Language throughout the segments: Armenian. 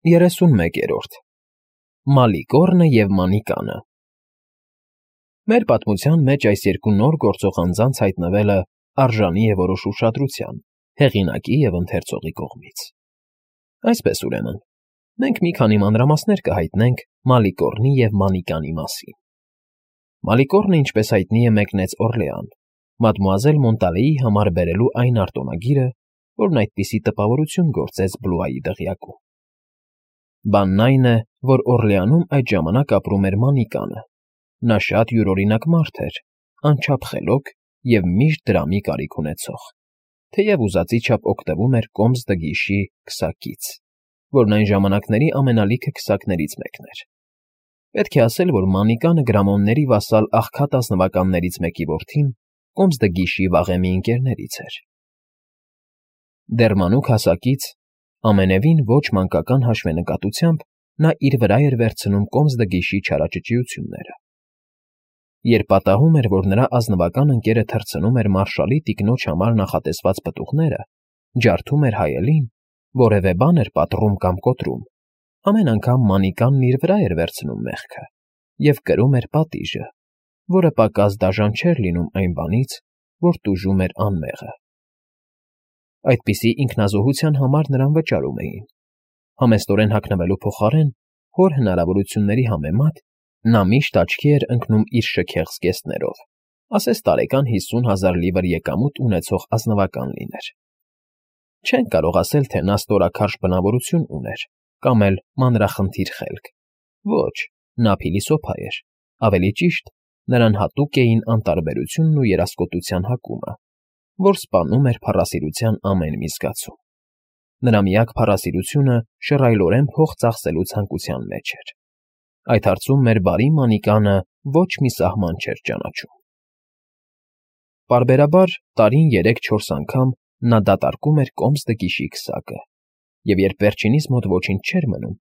31-րդ Մալիկոռնը և Մանիկանը Մեր պատմության մեջ այս երկու նոր գործող անձանց հայտնվելը արժանի է որոշ ուշադրության հեղինակի և ընթերցողի կողմից։ Այսպես ուրեմն, մենք մի քանի մանրամասներ կհայտնենք Մալիկոռնի և Մանիկանի մասին։ Մալիկոռնը, ինչպես հայտնի է, մեկնեց Օռլեան, մադմուազել Մոնտալեի համար բերելու այն արտոնագիրը, որն այդպիսի տպավորություն գործեց Բլուայի դղյակում։ Բանն այն է, որ Օռլեանում այդ ժամանակ ապրում էր Մանիկանը։ Նա շատ յուրօրինակ մարդ էր, անչափ խելոք և միշտ դրամի կարիք ունեցող, թեև ուզածի չափ օգտվում էր Կոմս դգիշի քսակից, որն այն ժամանակների ամենալիքը քսակներից մեկն էր։ Պետք է ասել, որ Մանիկանը գրամոնների վասալ աղքատ ազնվականներից մեկի որդին Կոմս դգիշի վաղեմի ընկերներից էր։ Դեռ մանուկ հասակից, ամենևին ոչ մանկական հաշվենկատությամբ նա իր վրա էր վերցնում Կոմս դգիշի չարաճճիությունները։ Երբ պատահում էր, որ նրա ազնվական ընկերը թռցնում էր մարշալի տիկնոջ համար նախատեսված պտուղները, ջարդում էր հայելին, որևէ բան էր պատռում կամ կոտրում, ամեն անգամ Մանիկանն իր վրա էր վերցնում մեղքը և կրում էր պատիժը, որը պակաս դաժան չէր լինում այն բանից, որ տուժում էր անմեղը։ Այդպիսի ինքնազոհության համար նրան վճարում էին։ Համեստորեն հագնվելու փոխարեն հոր հնարավորությունների համեմատ նա միշտ աչքի էր ընկնում իր շքեղ զգեստներով, ասես տարեկան 50,000 լիվր եկամուտ ունեցող ազնվական լիներ։ Չենք կարող ասել, թե նա ստորաքարշ բնավորություն ուներ կամ էլ մանրախնդիր խելք։ Ոչ, նա փիլիսոփա էր, ավելի ճիշտ, նրան հատուկ էին անտարբերությունն ու երասկոտության հակումը, որ սպանում էր փառասիրության ամեն մի զգացում։ Նրա միակ փառասիրությունը շռայլորեն փող ծախսելու ցանկության մեջ էր։ Այդ հարցում մեր բարի Մանիկանը ոչ մի սահման չէր ճանաչում։ Պարբերաբար տարին 3-4 անգամ նա դատարկում էր Կոմս դգիշի քսակը, և երբ վերջինիս մոտ ոչինչ չէր մնում,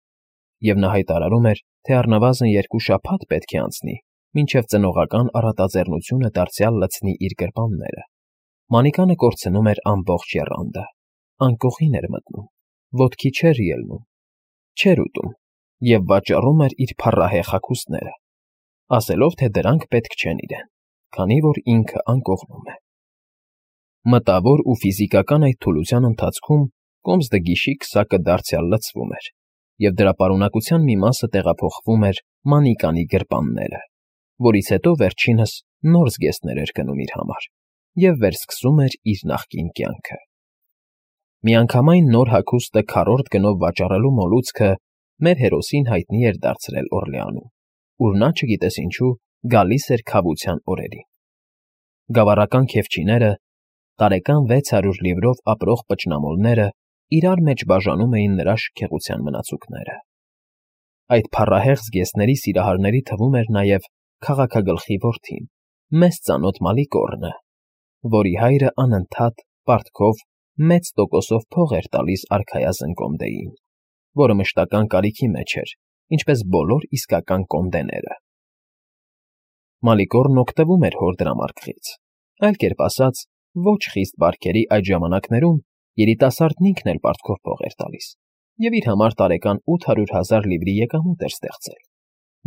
և նա հայտարարում էր, թե առնվազն 2 շաբաթ պետք է անցնի, մինչև ծնողական առատաձեռնությունը դարձյալ լցնի իր գրպանները, Մանիկանը կորցնում էր ամբողջ եռանդը, անկողին էր մտնում, ոտքի չէր ելնում, չէր ուտում և վաճառում էր իր փառահեղ հագուստները, ասելով, թե դրանք պետք չեն իրեն, քանի որ ինքը անկողնում է։ Մտավոր ու ֆիզիկական այդ թուլության ընթացքում Կոմս դգիշի քսակը դարձյալ լցվում էր, և դրա պարունակության մի մասը տեղափոխվում էր Մանիկանի գրպանները, որից հետո վերջինս նոր զգեստներ էր գնում իր համար և վերսկսում էր իր նախկին կյանքը։ Միանգամայն նոր հագուստը քառորդ գնով վաճառելու մոլուցքը մեր հերոսին հայտնի էր դարձրել Օռլեանում, ուր նա, չգիտես ինչու, գալիս էր քավության օրերին։ Գավառական քեֆչիները, տարեկան 600 լիվրով ապրող պճնամոլները իրար մեջ բաժանում էին նրա շքեղության մնացուկները։ Այդ փառահեղ զգեստների սիրահարների թվում էր նաև քաղաքագլխի որդին, մեզ ծանոթ Մալիկոռնը, որի հայրը անընդհատ, պարտքով, մեծ տոկոսով փող էր տալիս արքայազն կոմդեին, որը մշտական կարիքի մեջ էր, ինչպես բոլոր իսկական կոմդեները։ Մալիկոռնն օգտվում էր հոր դրամարկղից, այլ կերպ ասած, ոչ խիստ բարքերի այդ ժամանակներում երիտասարդն ինքն էլ պարտքով փող էր տալիս և իր համար տարեկան 800,000 լիվրի եկամուտ էր ստեղծել,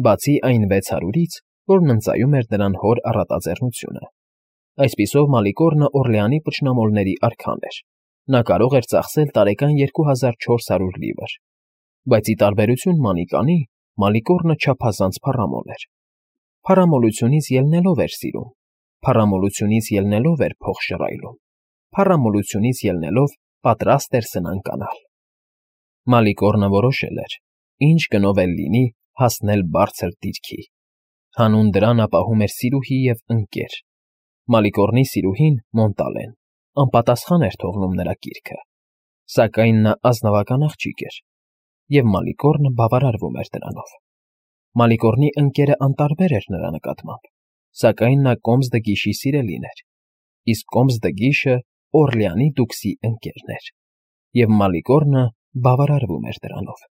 բացի այն 600-ից, որն ընծայում էր նրան հոր առատաձեռնությունը։ Այսպիսով Մալիկոռնը Օռլեանի պճնամոլների արքան էր։ Նա կարող էր ծախսել տարեկան 2400 լիվր, բայց ի տարբերություն Մանիկանի, Մալիկոռնը չափազանց փառամոլ էր։ Փառամոլությունից ելնելով էր սիրում, փառամոլությունից ելնելով էր փող շռայլում, փառամոլությունից ելնելով պատրաստ էր սնանկ անալ։ Մալիկոռնը որոշել էր, ինչ գնով էլ լինի, հասնել բարձր դիրքի։ Հանուն դրան ապահում էր սիրուհի և ընկեր։ Մալիկոռնի սիրուհին՝ Մոնտալեն, անպատասխան էր թողնում նրա կիրքը, սակայն նա ազնվական աղջիկ էր, և Մալիկոռնը բավարարվում էր դրանով։ Մալիկոռնի ընկերը անտարբեր էր նրա նկատմամբ, սակայն նա Կոմս դգիշի սիրելին էր, իսկ Կոմս դգիշը Օռլեանի դուքսի ընկերն էր, և Մալիկոռնը բավարարվում էր դրանով։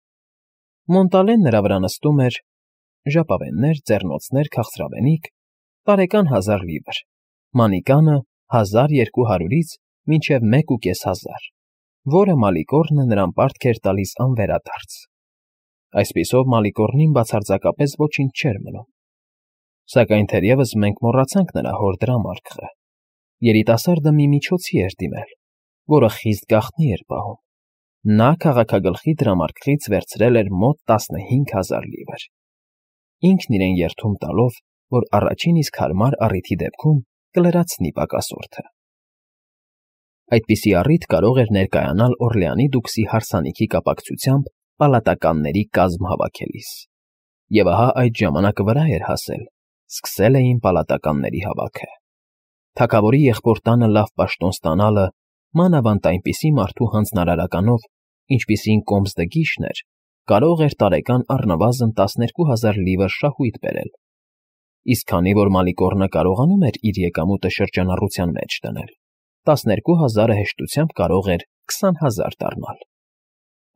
Մոնտալեն նրա վրա նստում էր ժապավեններ, ձեռնոցներ, քաղցրավենիք, տարեկան 1000 լիվր, Մանիկանը 1200-ից մինչև 1,500, որը Մալիկոռնը նրան պարտք էր տալիս անվերադարձ, Այսպիսով Մալիկոռնին բացարձակապես ոչինչ չէր մնում։ Սակայն թերևս մենք մոռացանք նրա հոր դրամարկղը։ Երիտասարդը մի միջոցի էր դիմել, որը խիստ գաղտնի էր պահում։ Նա քաղաքագլխի դրամարկղից վերցրել էր մոտ 15,000 լիվր։ Ինքն իրեն երդում տալով, որ առաջին իսկ հարմար առիթի դեպքում կլրացնի պակասորդը։ Այդպիսի առիթ կարող էր ներկայանալ Օրլեանի դուքսի հարսանիքի կապակցությամբ պալատականների կազմ հավաքելիս։ Եվ ահա այդ ժամանակը վրա էր հասել, սկսել էին պալատականների հավաքը։ Թագավորի եղբոր տանը լավ պաշտոն ստանալը, մանավանդ այնպիսի մարդու հանձնարարականով, ինչպիսին Կոմսդգիշն էր, կարող էր տարեկան առնվազն 12,000 լիվր շահույթ բերել։ Իսկ քանի որ Մալիկոռնը կարողանում էր իր եկամուտը շրջանառության մեջ դնել, 12,000-ը հեշտությամբ կարող էր 20,000 դառնալ։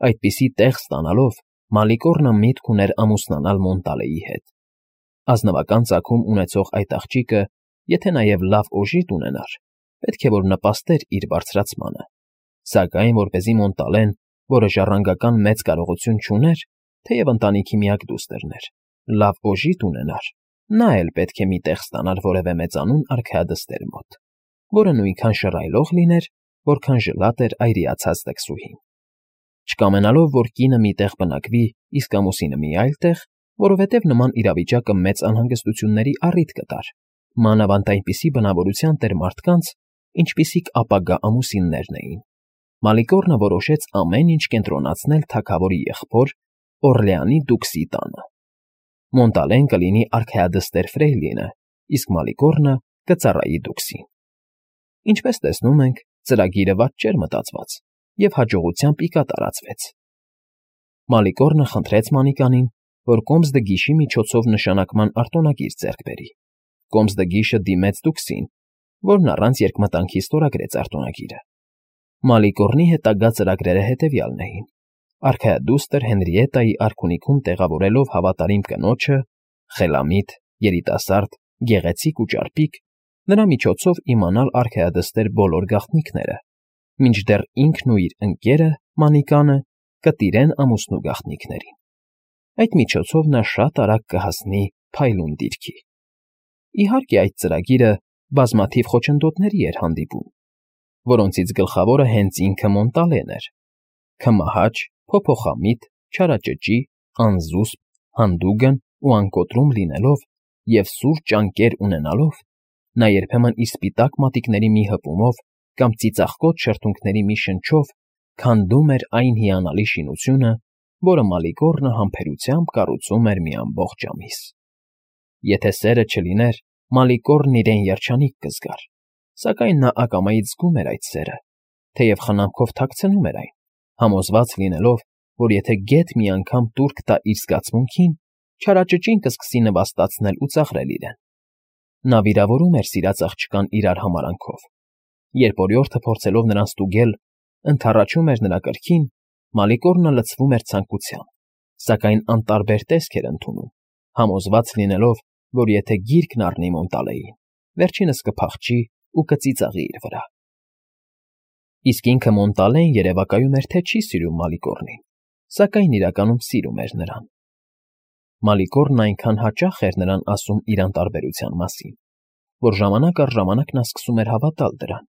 Այդպիսի տեղ ստանալով Մալիկոռնը միտք ուներ ամուսնանալ Մոնտալեի հետ։ Ազնվական ծագում ունեցող այդ աղջիկը, եթե նաև լավ օժիտ ունենար, պետք է որ նպաստեր իր բարձրացմանը, սակայն որպեսզի Մոնտալեն, որը ժառանգական մեծ կարողություն չուներ, թեև ընտանիքի միակ դուստրն էր, լավ օժիտ ունենար, նա էլ պետք է մի տեղ ստանար որևէ մեծանուն արքայադստեր մոտ, որը նույնքան շռայլող լիներ, որքան ժլատ էր այրիացած տքսուհին։ Չկամենալով, որ կինը մի տեղ բնակվի, իսկ ամուսինը մի այլ տեղ, որովհետև նման իրավիճակը մեծ անհանգստությունների առիթ կտար, մանավանդ այնպիսի բնավորության տեր մարդկանց, ինչպիսիք ապագա ամուսիններն էին, Մալիկոռնը որոշեց ամեն ինչ կենտրոնացնել թագավորի եղբոր Օրլեանի դուքսի տանը։ Մոնտալեն կլինի արքայադստեր Ֆրեյլինը, իսկ Մալիկոռնը կծառայի դուքսին։ Ինչպես տեսնում ենք, ծրագիրը վատ չէր մտածված և հաջողությամբ ի կատարածվեց։ Մալիկոռնը խնդրեց Մանիկանին, որ Կոմսդգիշի միջոցով նշանակման արտոնագիր ձեռք բերի։ Կոմսդգիշը դիմեց դուքսին, որն առանց երկմտանքի ստորագրեց արտոնագիրը։ Մալիկոռնի հետագա ծրագրերը հետևյալն էին. արքայադուստր Հենրիետայի արքունիքում տեղավորելով հավատարիմ կնոջը, խելամիտ, երիտասարդ, գեղեցիկ ու ճարպիկ, նրա միջոցով իմանալ արքայադստեր բոլոր գաղտնիքները, մինչդեռ ինքն ու իր ընկերը Մանիկանը կտիրեն ամուսնու գաղտնիքներին։ Այդ միջոցով նա շատ արագ կհասնի փայլուն դիրքի։ Իհարկե, այդ ծրագիրը բազմաթիվ խոչընդոտների էր հանդիպում, որոնցից գլխավորը հենց ինքը Մոնտալեն էր։ Քմահաճ, փոփոխամիտ, չարաճճի, անզուսպ, հանդուգն ու անկոտրում լինելով և սուր ճանկեր ունենալով, նա երբեմն իր սպիտակ մատիկների մի հպումով կամ ծիծաղկոտ շրթունքների մի շնչով քանդում էր այն հիանալի շինությունը, որը Մալիկոռնը համբերությամբ կառուցում էր մի ամբողջ ամիս։ Եթե սերը չլիներ, Մալիկոռնն իրեն երջանիկ կզգար, սակայն նա ակամայից զգում էր այդ սերը, թեև խնամքով թաքցնում էր այն, համոզված լինելով, որ եթե գեթ մի անգամ տուրք տա իր զգացմունքին, չարաճճին կսկսի նվաստացնել ու ծաղրել իրեն։ Նա վիրավորում էր սիրած աղջկան իրար համարանքով։ Երբ օրիորդը փորձելով նրան ստուգել, ընդառաջում էր նրա կրքին, Մալիկոռնը լցվում էր ցանկությամբ, սակայն անտարբեր տեսք էր ընդունում, համոզված լինելով, որ եթե գիրկն առնի Մոնտալեին, վերջինս կփախչի ու կծիծաղի իր վրա։ Իսկ ինքը Մոնտալեն երևակայում էր, թե չի սիրում Մալիկոռնին, սակայն իրականում սիրում էր նրան։ Մալիկոռնն այնքան հաճախ էր նրան ասում իր անտարբերության մասին, որ ժամանակ առ ժամանակ նա սկսում էր հավատալ դրան,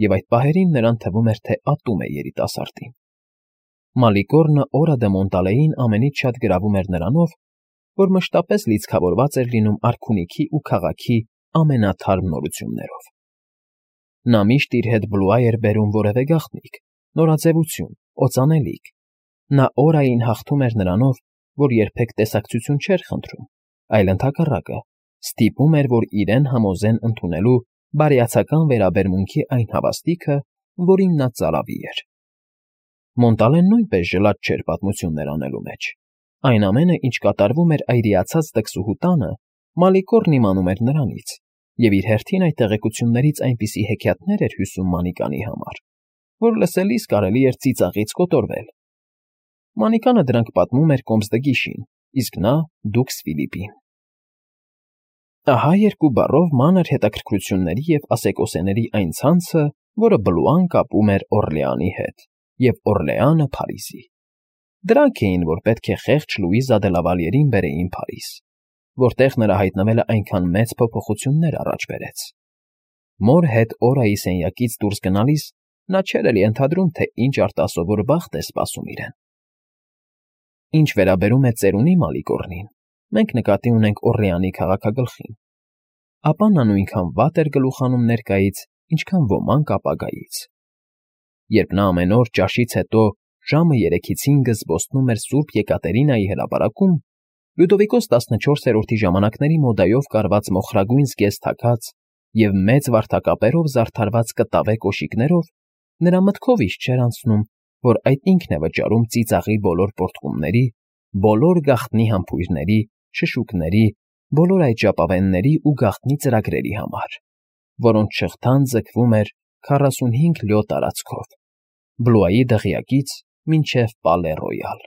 և այդ պահերին նրան թվում էր, թե ատում է երիտասարդին։ Մալիկոռնը օրը դե Մոնտալեին ամենից շատ գրավում էր նրանով, որ մշտապես լիցքավորված էր լինում արքունիքի ու քաղաքի ամենաթարմ նորություններով։ Նա միշտ իր հետ բլուա էր բերում որևէ գաղտնիք, նորաձևություն, օծանելիք։ Նա օրային հաղթում էր նրանով, որ երբեք տեսակցություն չէր խնդրում, այլ ընդհակառակը, ստիպում էր, որ իրեն համոզեն ընդունելու բարյացակամ վերաբերմունքի այն հավաստիքը, որին նա ծարավի էր։ Մոնտալեն նույնպես ժլատ չէր պատմություններ անելու մեջ։ Այն ամենը, ինչ կատարվում էր այրիացած տքսուհու տանը, Մալիկոռնն իմանում էր նրանից, և իր հերթին այդ տեղեկություններից այնպիսի հեքիաթներ էր հյուսում Մանիկանի համար, որ լսելիս կարելի էր ծիծաղից կոտորվել։ Մանիկանը դրանք պատմում էր Կոմսդգիշին, իսկ նա դուքս Ֆիլիպին։ Ահա երկու բառով մանր հետաքրքրությունների և ասեկոսեների այն ցանցը, որը Բլուան կապում էր Օրլեանի հետ, և Օրլեանը Փարիզի։ Դրանք էին, որ պետք է խեղճ Լուիզա դե Լավալյերին բերեին Փարիզ, որտեղ նրա հայտնվելը այնքան մեծ փոփոխություններ առաջ բերեց։ Մոր հետ Օրայի սենյակից դուրս գնալիս նա չէր էլ ենթադրում, թե ինչ արտասովոր բախտ է սպասում իրեն։ Ինչ վերաբերում է ծերունի Մալիգորնին, մենք նկատի ունենք Օռլեանի քաղաքագլխին, ապա նա նույնքան վատ էր գլուխանում ներկայից, ինչքան ոմանք ապագայից։ Երբ նա ամեն օր ճաշից հետո ժամը 3-ից 5 զբոսնում էր Սուրբ Եկատերինայի հրապարակում, Լյուդովիկոս 14-րդի ժամանակների մոդայով կարված մոխրագույն զգեստ թաքած և մեծ վարդակապերով զարդարված կտավե կոշիկներով, նրա մտքով իշտ չէր անցնում, որ այդ ինքն է վճարում ծիծաղի բոլոր պոռթկումների, բոլոր գաղտնի համբույրների, շշուկների, բոլոր այդ ժապավենների ու գաղտնի ծրագրերի համար, որոնց շղթան ձգվում էր 45 լյո տարածքով, Բլուայի դղյակից մինչև Պալե Ռոյալ։